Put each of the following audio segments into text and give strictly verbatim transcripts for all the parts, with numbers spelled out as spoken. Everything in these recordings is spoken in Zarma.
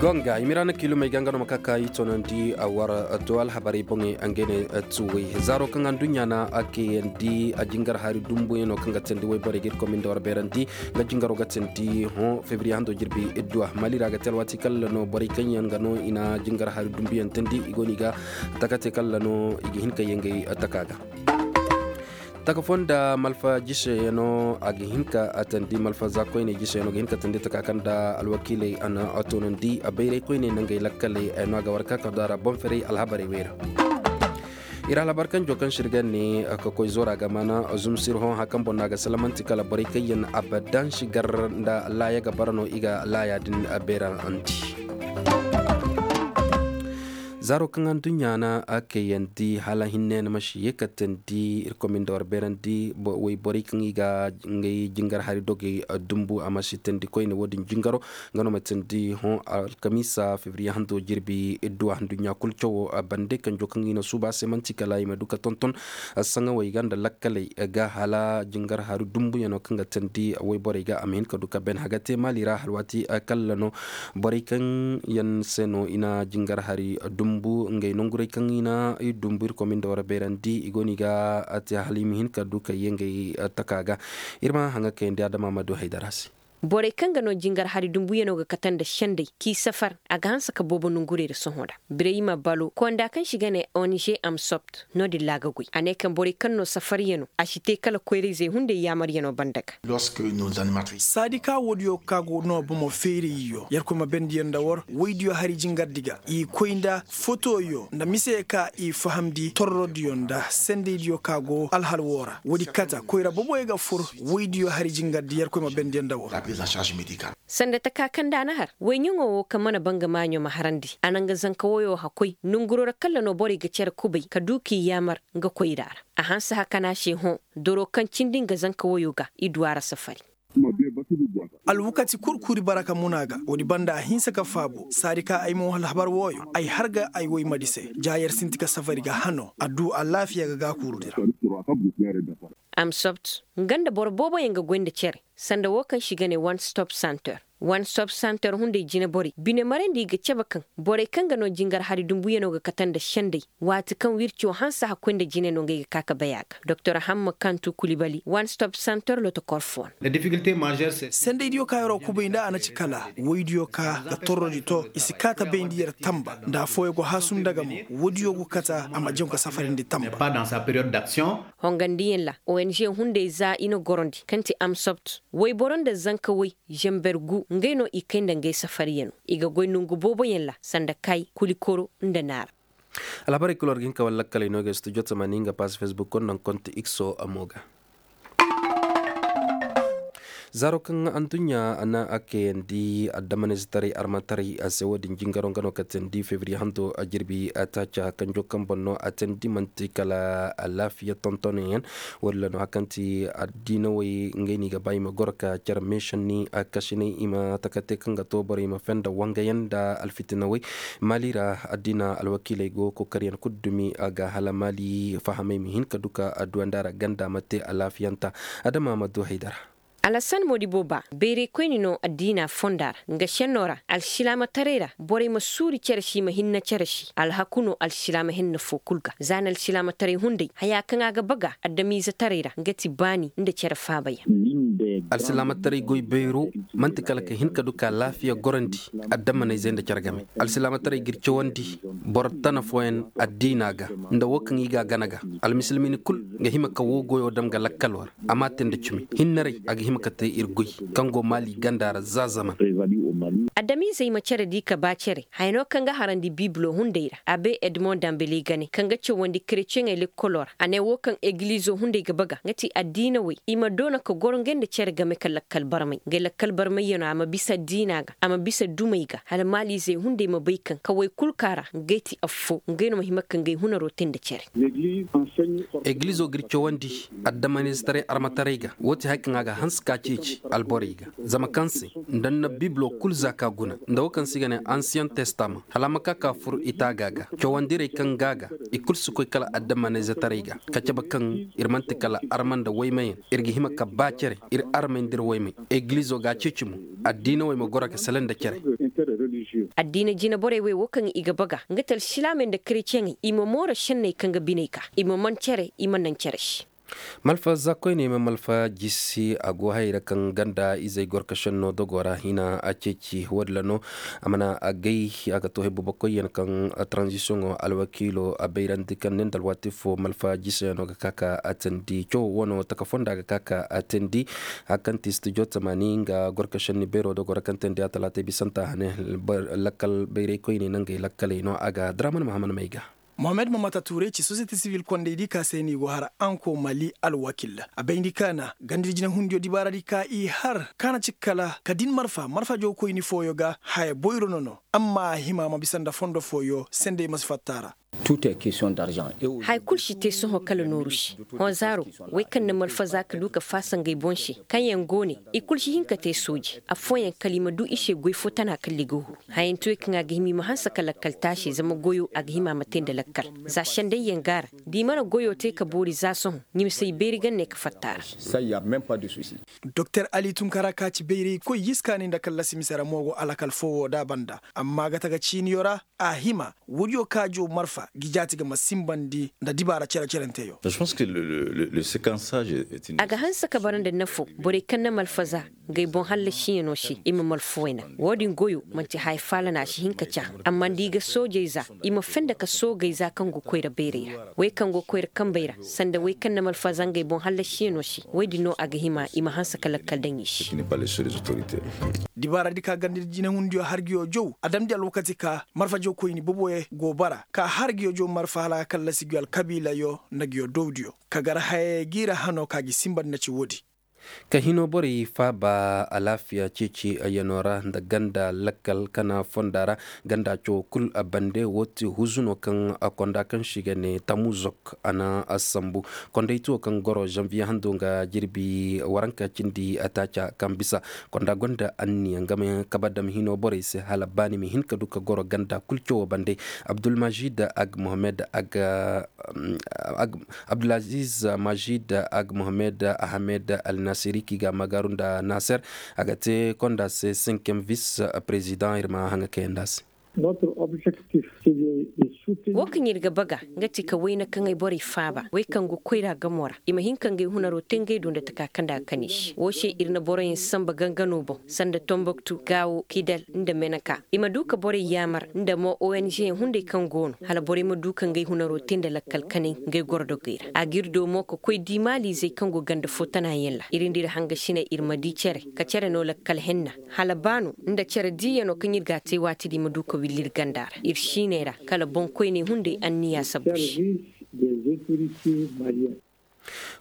Gonga i ma ira na kiilumey ga nga no ma ka ka i toonandi a war to alhabarey boŋey nga ne tuwey zaaro kaŋ anduɲɲa na a kayandi a jingar hari dumbuyaŋ no kaŋ ga teendi wayborey ga irkoy ma nda war beerandi. Nga jingaro ga teendi hõ febriye hando jirbi idduwa mali ra ga te alwaati kala no borey kaŋ yaŋ ga no i na jingar hari dumbuyaŋ teendi i go no i ga taka te kala no i ga hin ka ye ngey taka ga taka fo nda malfa jise yaŋ no a ga hin ka teendi malfa za koyne jise yaŋ no ga hin ka teendi taka kaŋ nda alwakiiley a na a toonandi a bayray koyne nangey lakkaley yaŋ no a ga war ka ka do a ra boŋ ferey alhabarey wey ra. Iri alhabar kaŋ jo kaŋ sirgan ne ka koy zora ga mana zumsir hõ hakan boŋ no a ga salamanti kala borey kaŋ yaŋ abadan sigar nda laaya ga bara no i ga laaya din beerandi. Zaaro kaŋ anduɲɲa na a kayandi hala hinne na ma si ye ka teendi irkoy ma nda war beerandi wayborey kaŋ i ga ngey jingar hari dogey dumbu a ma si teendi koyne wo- din jingaro nga no ma teendi hõ alkamiisa febriye hando jirbi idduwa nduɲɲa kulu cawo bande kanjo kaŋ i na suuba se manti kala i ma du ka tonton saŋawey ga nda lakkaley ga hala jingar hari dumbuyaŋo kaŋ ga teendi wayborey ga a ma hin ka du ka ben haga te maali ra hala waati kala no borey kaŋ yaŋ se no i na jingar hari dumbu ngey nongurey kaŋ i na i dumbu irkoy ma nda war beerandi i go no i ga te hala i ma hin ka du ka ye ngey taka ga. Iri ma haŋa kayandi adama ma du haydara se. Borey kaŋ ga no jingar hari dumbuyaŋo ga kate nda sendey k'i safar a ga hanse ka boobo nongurey ra sohõ ra birayma balo konda kaŋ si ga ne ong amsopt no- din ra a ga goy a ne kaŋ borey kaŋ no safaryaŋo a si te kala koyrayzey hunday yaamaryaŋo banda ga. Saadi ka woodiyo ka go no bomo feerayyo yerkoy ma bendiyaŋ nda war woydiyo hari jingardi ga i koy nda fotoyo nda mise ka i fahamndi torrodiyo nda sendaydiyo ka go alhal wo ra woodi kata koyra boboyo ga fur woydiyo hari jingardi yerkoy ma bendiyaŋ nda war. Sanda taka kaŋ nda a na har wayɲaŋo wo kaŋ mana banga maaɲo ma harandi a na nga zanka wayo hakoy nonguro ra kala no borey ga care kubay ka du k'i yaamar nga koyra ra a hanse hakana se hõ doro kaŋ cindi nga zanka wayo ga i du a ra safari. Alwakati kulu kuuri bara ka muna ga woodi banda a hinse ka faabo saadi ka ay mo alhabar wooyo ay har ga ay woy madi se ja yer sinti ka safari ga hano a du alaafiya ga gaakuuru dira. Amsopt nga nda boro boobo yaŋ ga goy nda care sanda wo kaŋ si ga ne one stop center. One stop center hunday jine borey bine marandi ga cabe kaŋ borey kaŋ ga no jingar hari dumbuyaŋo ga kate nda sendey waati kaŋ wirco hanse hakkoy nda jine no ngey ga ka ka bay a ga doktor hamma kantu kulibali one stop center lotokor fo no. Sendaydiyo ka yer'o kubay nda a na ci kala woydiyo ka ga torrodi to i si ka ta bayndi yer tamba nda afooyaŋ go haasum nda ga mo woodiyo go kata a ma jaŋ ka safarindi tamba. Hongandiyaŋ ra ong hunday za i na gorondi kaŋ ti amsopt wayboro nda zanka way zamber gu ngey no i kay nda ngey safariyaŋo i ga goy nangu booboyaŋ ra sanda kay kulikoro nda naara. Alhabarey kulu war ga hin ka wala lakkaley no ga studio tamani nga pass facebook konda konti x o amo ga. Zaaro kaŋ anduɲɲa na a kayandi addamanayzetaray armataray a se wo-din jingaro nga no ka teendi febriye hanto a jirbi a taaca kanjo kaŋ boŋ no a teendi manti kala alaafiya tontonayaŋ. Wala no hari kaŋ ti addiinawey ngey no i ga ba i ma goro ka care meesanni a kasinay i ma taka te kaŋ ga to borey ma fenda wangayaŋ nda alfitinawey. Maali ra addiina alwakiiley go kookariyaŋ kulu dumi a ga hala maali fahamey ma hin ka du ka adduwa nda a ra ganda ma te alaafiyanta. Adama ma du haydara. Alasan moodibo ba bayray koyne no addiina fonda ra nga senno ra alsilaamataray ra borey ma suuri care se i ma hinne care se alhaku no alsilaama hinne fo kulu ga za ni alsilaamataray hunday haya kaŋ a ga baga adamiizetaray ra nga ti baani nda care faabayaŋ. Alsilaamataray goy bayro manti kala ka hin ka du ka laafiya gorandi addamanayzey nda care game alsilaamataray ga iri cawandi boro tana fooyaŋ addiina ga nda wo kaŋ i ga a gana ga almisilmini kulu ga hima ka wo goyo dam ga lakkalo ra a ma te nda cimi hinnaray a ga hima ka te iri goy kaŋ go maali ganda ra za zaman. Adamiizey ma care di ka ba care haya no kaŋ ga harandi biibilo hunday ra abe edmond dambele gane kaŋ ga cawandi kretiyeŋey lekkolo ra a ne wo kaŋ egilizo hunday ga baga nga ti addiina wey i ma doona ka goro ngey nda care game ka lakkal barmay ngey lakkal barmayyaŋo a ma bisa addiina ga a ma bisa dumey ga hala maaliizey hunday ma bay kaŋ kawey kulu kaŋ a ra ngey ti affo ngey no ma hima ka ngey hunaro te nda care. Egilizo ga iri cawandi addamanizetaray armataray ga wo ti hari kaŋ a ga hanse ka ceeci alborey ga zama kaŋ se nda ni na bibilo Kulu za ka guna nda wo kaŋ se i ga ne ansiyaŋ testama hala a ma ka ka fur i taaga ga cawandirey kaŋ ga a ga i kulu si koy kala adammanayzetaray ga ka cabe kaŋ iri manti kala arma nda waymayaŋ. Iri ga hima ka ba care iri armey nda iri waymey. Egilizo ga a ceeci mo addiinawey ma goro ga salaŋ nda care. Addiina jinaborey wey wo kaŋ i ga baga nga ti alsilaamey nda kareceŋey i ma mooro senney kaŋ ga biney ka i ma man care i ma naŋ care se. Malfa za koyne ma malfa jisi a go hayey ra kaŋ ganda izey gorkašenno dogo ra hina a ceeci wo- din ra no. A mana a gay a ga to hay boobo koyyaŋ kaŋ taranzisiyoŋo alwakiilo a bayrandi kaŋ ne nda alwaati fo malfa jisiyano ga ka ka a tandi cawo wano taka fonda ga ka ka a tandi. Hari kaŋ ti studio tamaani nga gorkašenni beero dogo ra kaŋ tandi a talaatey bisanta hane lakkal bayray koyne nangey lakkaley no a ga draman mahaman may ga. Mohamed mamata tuurey ci sosiyete sivil kondey di ka se no i go hara anko mali alwakil a bayndi kaana ganda di jinahundiyo dibaara di ka i har kaana ci kala ka din marfa marfa jow koyni fooyo ga haya boyro no no amma a hima ma bisa nda fondo fooyo sendey ma si fatta a ra. Haya kulu si te sohõ kala nooru se. Hõ zaaro, wey kaŋ na malfaza ka du ka faasa ngey boŋ se kaŋ yaŋ go ne i kulu si hin ka te sooje afooyaŋ kala i ma du i se goy fo tana kala i ga huru. Hayantewey kaŋ a ga hima i ma hanse ka lakkal taasi zama goyo a ga hima a ma te nda lakkal. Za sendayyaŋ go a ra da i mana goyo te ka boori za sohõ ni ma si ay beeri ganney ka fatta a ra. Doktor ali tunkara ka ci bayraykoy yiskaani nda kallasi mise ra mo go alakal fo wo da banda amma ga taga ciiniyo ra. A hima woodiyo kaajo marfa ga i jaati ga ma simbandi nda dibaara care caranteyo. A ga hanse ka bara nda nafo borey kaŋ na malfaza ngey boŋ hallasiyaŋo se i ma malfuway naŋ. Wo- din goyo manti haya faala no a si hin ka ca. Amma nda i ga soojey za i ma fenda ka soogey za kaŋ go koyra bayray ra wey kaŋ go koyra kambey ra sanda wey kaŋ na malfaza ngey boŋ hallasiyaŋo se wo- din no a ga hima i ma hanse ka lakkal daŋ i se. Dibaara di ka ganda di jinahundiyo hargiyo jow a damndi alwakati ka marfa jow koyni boboyaŋ go bara ka hargiyo jow marfa hala a ga kallasi guyo alkabiilayo nda guyo dowdiyo ka gar hayey ga i ra hano ka ga i simbandi na ci wo- din. Ka hino borey faaba alaafiya ceeci yano ra nda ganda lakkal kana fonda ra ganda cawo kulu bande wo ti huzu no kaŋ konda kaŋ se i ga ne tamuzok a na sambu. Kondaytuwo kaŋ goro zanviye hando nga jirbi waranka cindi taaca kaŋ bisa konda gonda anniya nga ma kabe dam hino borey se hala baani ma hin ka du ka goro ganda kulu cawo bande. Abdulmajid ag mohammed ag abdulaziz majid ag mohammed ahmed alnasiri kaŋ i ga a magaaru nda naser a ga te konda se cinquième vice président iri ma haŋa kayandi a se. Wo kaŋ iri ga baga nga ti ka wayna kaŋ ay borey faaba way kaŋ go koyra gamo ra i ma hin ka ngey hunaro te ngey do nda taka kaŋ da a ga kani se wo se iri na boroyaŋ samba gangano boŋ sanda tomboktu gaawo kidal nda meneka i ma du ka borey yaamar nda mo ong yaŋ hunday kaŋ go no hala borey ma du ka ngey hunaro te nda lakkal kanay ngey goro dogey ra a ga iri do mo ka koy di maaliizey kaŋ go ganda fo tana yaŋ ra iri nda iri hangasiney iri ma di care ka care no lakkal henna hala ba no nda care diiyano kaŋ iri ga a te waati din ma du ka willi iri ganda ra iri siiney ra kala boŋ koyney hunday anniya sabbu se.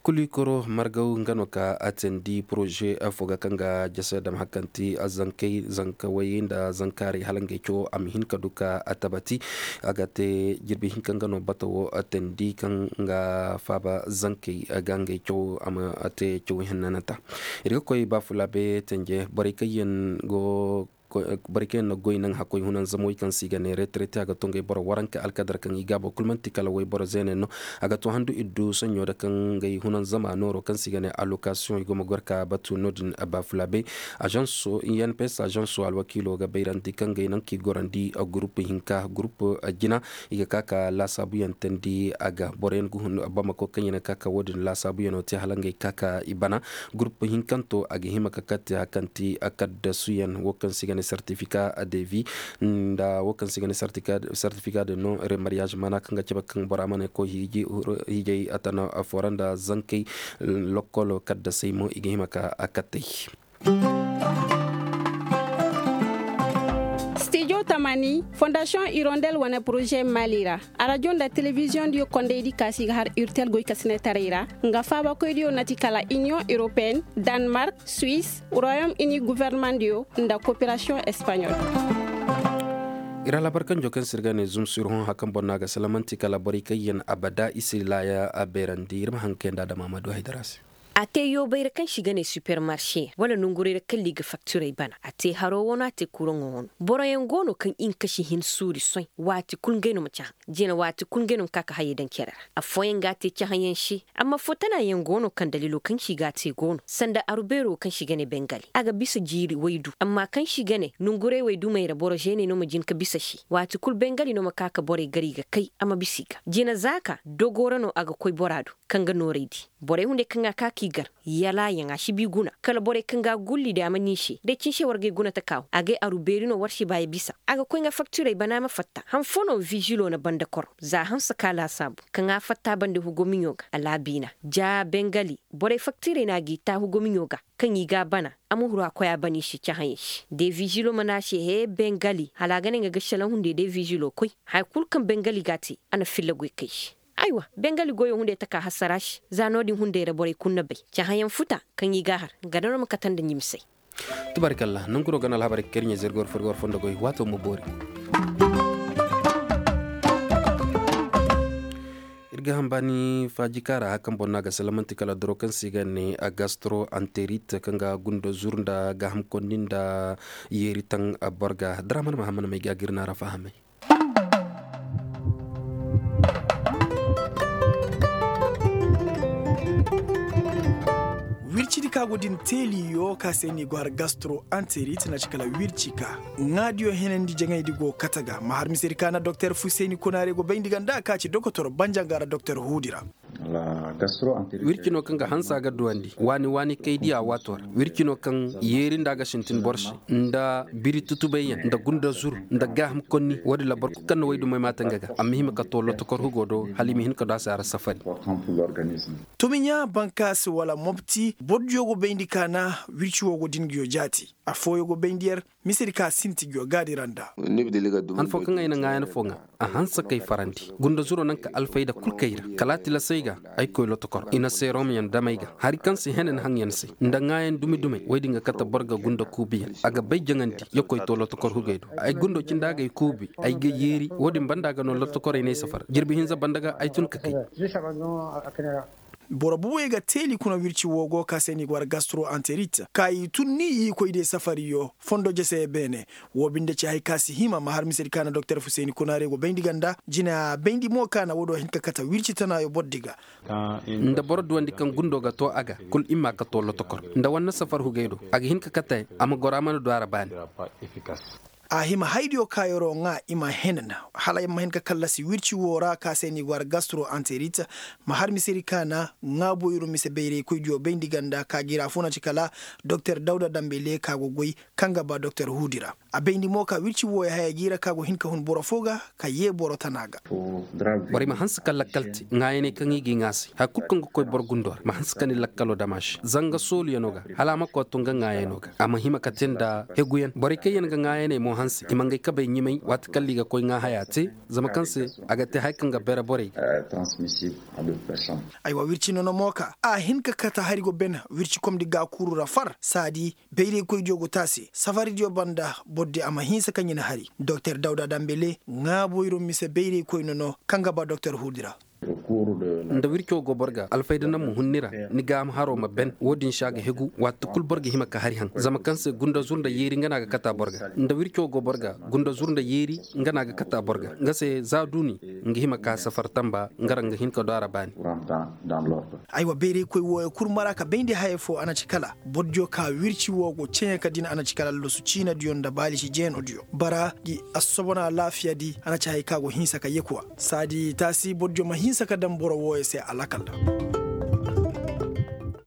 Kulikoro margaw nga no ka a teendi poroze fo ga kaŋ ga jase dam hari kaŋ ti zankey zankawey nda zankaarey hala ngey cawo a ma hin ka du ka a tabati a ga te jirbi hinka nga no bata wo teendi kaŋ ga faaba zankey ga ngey cawo a ma te cawo hennananta. Iri ga koy baafulaabe tenje borey kaŋ yaŋ go borey kaŋ yaŋ na goy naŋ hakkoy hunanzamawey kaŋ se i ga ne retraite a ga to ngey boro waranka alkadar kaŋ i gaabo kulu manti kala wayboro zeene no. A ga to handu iddu soɲɲo da kaŋ ngey hunanzama nooro kaŋ se i ga ne allocation i go ma goro ka batu no- din baafulaabe. Agence inps agence alwakiilo ga bayrandi kaŋ ngey naŋ kaŋ i gorandi gurupu hinka gurupu jina i ga ka ka laasaabuyaŋ teendi a ga boro yaŋ ga hun bamako kaŋ yaŋ ga ka ka wo- din laasaabuyaŋo te hala ngey ka ka i bana. Gurupu hinkanto a ga hima ka kate hari kaŋ ti kaddasuyaŋ wo kaŋ se i ga ne sertifika devi nda wo kaŋ se i ga ne sertifika de non remariyaaz maana kaŋ ga cabe kaŋ bora mana koy hiijay a tana fo ra nda zankey. Lokkolo kaddasey mo i ga hima ka a kattey. Stijo tamaani fondasiyoŋ irondel wane poroze maali ra. Arajo nda telebiziyoŋ diyo kondey di kaasi ga har urtel goykasinetaray ra nga faabakoy diyo nati kala iniyoŋ europeen, danmark, suwis, royom ini guvernemandiyo nda koperasiyoŋ espaɲol. Iri alaabar kanjo kaŋ se iri ga ne zumsu iri hõ hari kaŋ boro no a ga salamanti kala borey kaŋ yaŋ abada i si laaya a beerandi iri ma haŋ kayandi a dama a ma du haydara se. A te yoobay ra kaŋ se i ga ne supermarché wala nongurey ra kala i ga faktirey bana. A te haro wano a te kuraŋo wano boro yaŋ go no kaŋ i na kashi hin suuri soy waati kulu ngey no ma cahã. Jina waati kulu ngey no ma ka ga hayey daŋ care ra. Afooyaŋ ga a te cahãyaŋ se. Amma fo tana yaŋ go no kaŋ daliilo kaŋ se i ga a te go no sanda aru beero kaŋ se i ga ne bengali a ga bisa jiiri waydu amma kaŋ se i ga ne nongurey waydumey ra boro zeeney no ma jin ga bisa se. Waati kulu bengali no ma ka ga borey gar i ga kay a ma bisa i ga jina zaaka dogo ra no a ga koy bora do. Kaŋ ga noorey di borey hunday kaŋ a ka k'i gar yalaayaŋ a si bi guna kala borey kaŋ ga a gulli day a ma ni se day cinse war gay guna taka wo a gay aru beeri no war si ba ya bisa. A ga koy nga faktirey bana ma fatta han fo no vizilo na banda kor za hanse ka laasaabu kaŋ a fatta banda hugo miɲo ga a laabiina ja bengali borey faktirey no a g'i ta hugo miɲo ga kaŋ i ga a bana. A ma huru a koy a bana i se cahãyey se day vizilo mana a se he bengali hala a ga ne nga ga salaŋ hunday day vizilo koy. Haya kulu kaŋ bengali ga a te a na filla goy kay se. Aywa bengali goyo hunday taka hasara se za no- din hunday ra borey kulu na bay cahãyaŋ futa kaŋ i ga a har ganda no ma kate nda ɲimisey. Tubaarikalla nangu no ga no alhabarey ga kay iri ɲa zirgo war furgo war fondo goy waato ma boori. Iri ga hambaani faaji kaara hari kaŋ boro no a ga salamanti kala doro kaŋ se i ga ne a gastro anterit kaŋ ga gunda zuru nda gaaham kondi nda yeeri taŋ. Boro ga daraman mahammad may ga a ga iri naara fahamay. Wircidi ka go din teeliyo ka se no i go har gastro anterit na ci kala wirci ka ŋaadiyo henandi jaŋaydi go kate ga ma har misedi ka na doktor fuseyni konaare go bayndi ga nda ka ci dokotor banjanga ra doktor huudi ra. Wirci no kaŋ ga hansa ga duwandi waani waani kay diya waato ra. Wirci no kaŋ yeeri nda ga sintin boro se nda biri tutubay yaŋ nda gunda zuru nda gaaham konni wo- din ra boro kulu kaŋ na waydumay maate nga ga a ma hima ka to lotokor hugo do hala i ma hin ka du a se a ra safari. Tumiɲa bankaasi wala mobti boro diyo go bayndi ka na wirci wo go din ga yo jaati. Afooyo go bayndi yar misedi ka sinti ga yo gaadi ra nda. Han fo kaŋ ay na ŋaayan fo ŋa a hanse kay farandi gunda zuro naŋ ka alfayda kulu kay ra kala a tilasay ga. Ay koy lotokor i na seerom yaŋ dam ay ga hari kaŋ se henan haŋ yaŋ se nda ŋaayan dumi dumey wo- din ga kate boro ga gunda kuubi yaŋ a ga bay jaŋandi ya koy to lotokor hugey do. Ay gundo cindi a ga ay kuubi ay ga yeeri wo- din banda ga no lotokorey no ay safar jirbi hinza banda ga ay tun ka kay. Boro buwey ga teeli kuna wirci wo go ka se no i go war gastro anterit ka i tun ni i koy day safariyo fondo jese beene. Wo binde ci hari ka si hima ma har misedi ka na doktor fuseyni kunaare go bayndi ganda jina bayndi mo ka na wo- do hin ka kate wirci tanayo boro di ga. Nda boro duwandi kaŋ gundo ga to a ga kulu i ma ka to lotokor nda wanne safar hugey do a ga hin ka kate a ma goro a mana du a ra baani. A hima haydiyo kaayoro ŋwa i ma henan hala i ma hin ka kallasi wirci wo ra ka se no i go ara gastro anterit. Ma har misedi ka na ŋwa boyro mise bayray koydiyo bayndi ganda ka jiira fo na ci kala doktor dawda dambe le ka go goy kaŋ ga ba doktor huudi ra. A bayndi mo ka wirci wo ya haya jiira ka go hin ka hun boro fo ga ka ye boro tana ga. Borey ma hanse ka lakkal te ŋwaayaney kaŋ i ga i ŋwa se hari kulu kaŋ ga koy boro gundo ra ma hanse ka ni lakkalo dam a se zanga sooluyano ga hala a ma koy to nga ŋwaayano ga a ma hima ka te nda heguyaŋ borey kaŋ yaŋ ga ŋwaayaney mo hanse i ma ngey kabey ɲimay waati kaŋ ra i ga koy ŋwa haya te. Zama kaŋ se a ga te hari kaŋ ga bere borey ga. Aywa wirci nono mo ka a hin ka kate hari go ben wirci komdi ga kuru ra far saadi bayraykoydiyo go te a se safaridiyo banda boro di a ma hinsa ka ɲina hari doktor dawda dambele ŋwa boyro mise bayraykoy nono kaŋ ga ba doktor huudi ra. Nda wirco go boro ga alfayda naŋ ma hun ni ra ni gaaham haro ma ben wo- din se a ga hegu waati kulu boro ga hima ka hari haŋ zama kaŋ se gunda zur nda yeeri nga no a ga kata boro ga nda wirco go boro ga gunda zur nda yeeri nga no a ga kata boro ga nga se za duuni nga hima ka safar tamba nga ra nga hin ka do a ra baani. Aywa bayraykoy wooyo kulu mara ka bayndi haya fo a na ci kala boro diyo ka wirci wo go ceeyaŋ ka din a na ci kala loosu ciina diyo nda baalisi jeeno diyo bara di assobona laafiya di a na ci haya ka go hinsa ka yekuwa saadi taasi boro diyo ma hinsa ka daŋ boro wooyo se a lakal ra.